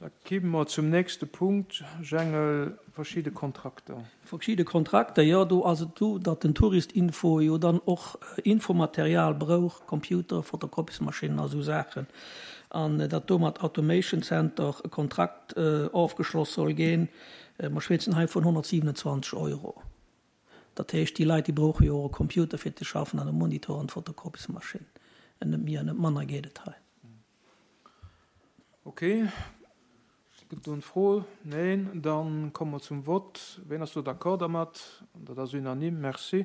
Da kimme mer zum nächste Punkt, Jengel, verschidde Kontrakter. Verschidde Kontrakter, jo. Do ass et esou, datt den Touristinfo jo dann och Infomaterial brouch, Computer, Fotokopiesmaschinnen a sou Saachen, an datt do mat Automation Center e Kontrakt ofgeschloss soll ginn. Mer schwätzen hei vun 127 Euro. Dat heescht, déi Leit, déi brauche jo och e Computer fir ze schaffen an e Monitor an d'Fotokopiesmaschinn. Net méi an net manner geet et hei. Ok. Gëtt do en Fro? Neen. Dann komme mer zum Vott. Ween ass do d'accord dermat? Dat ass unanime. Merci.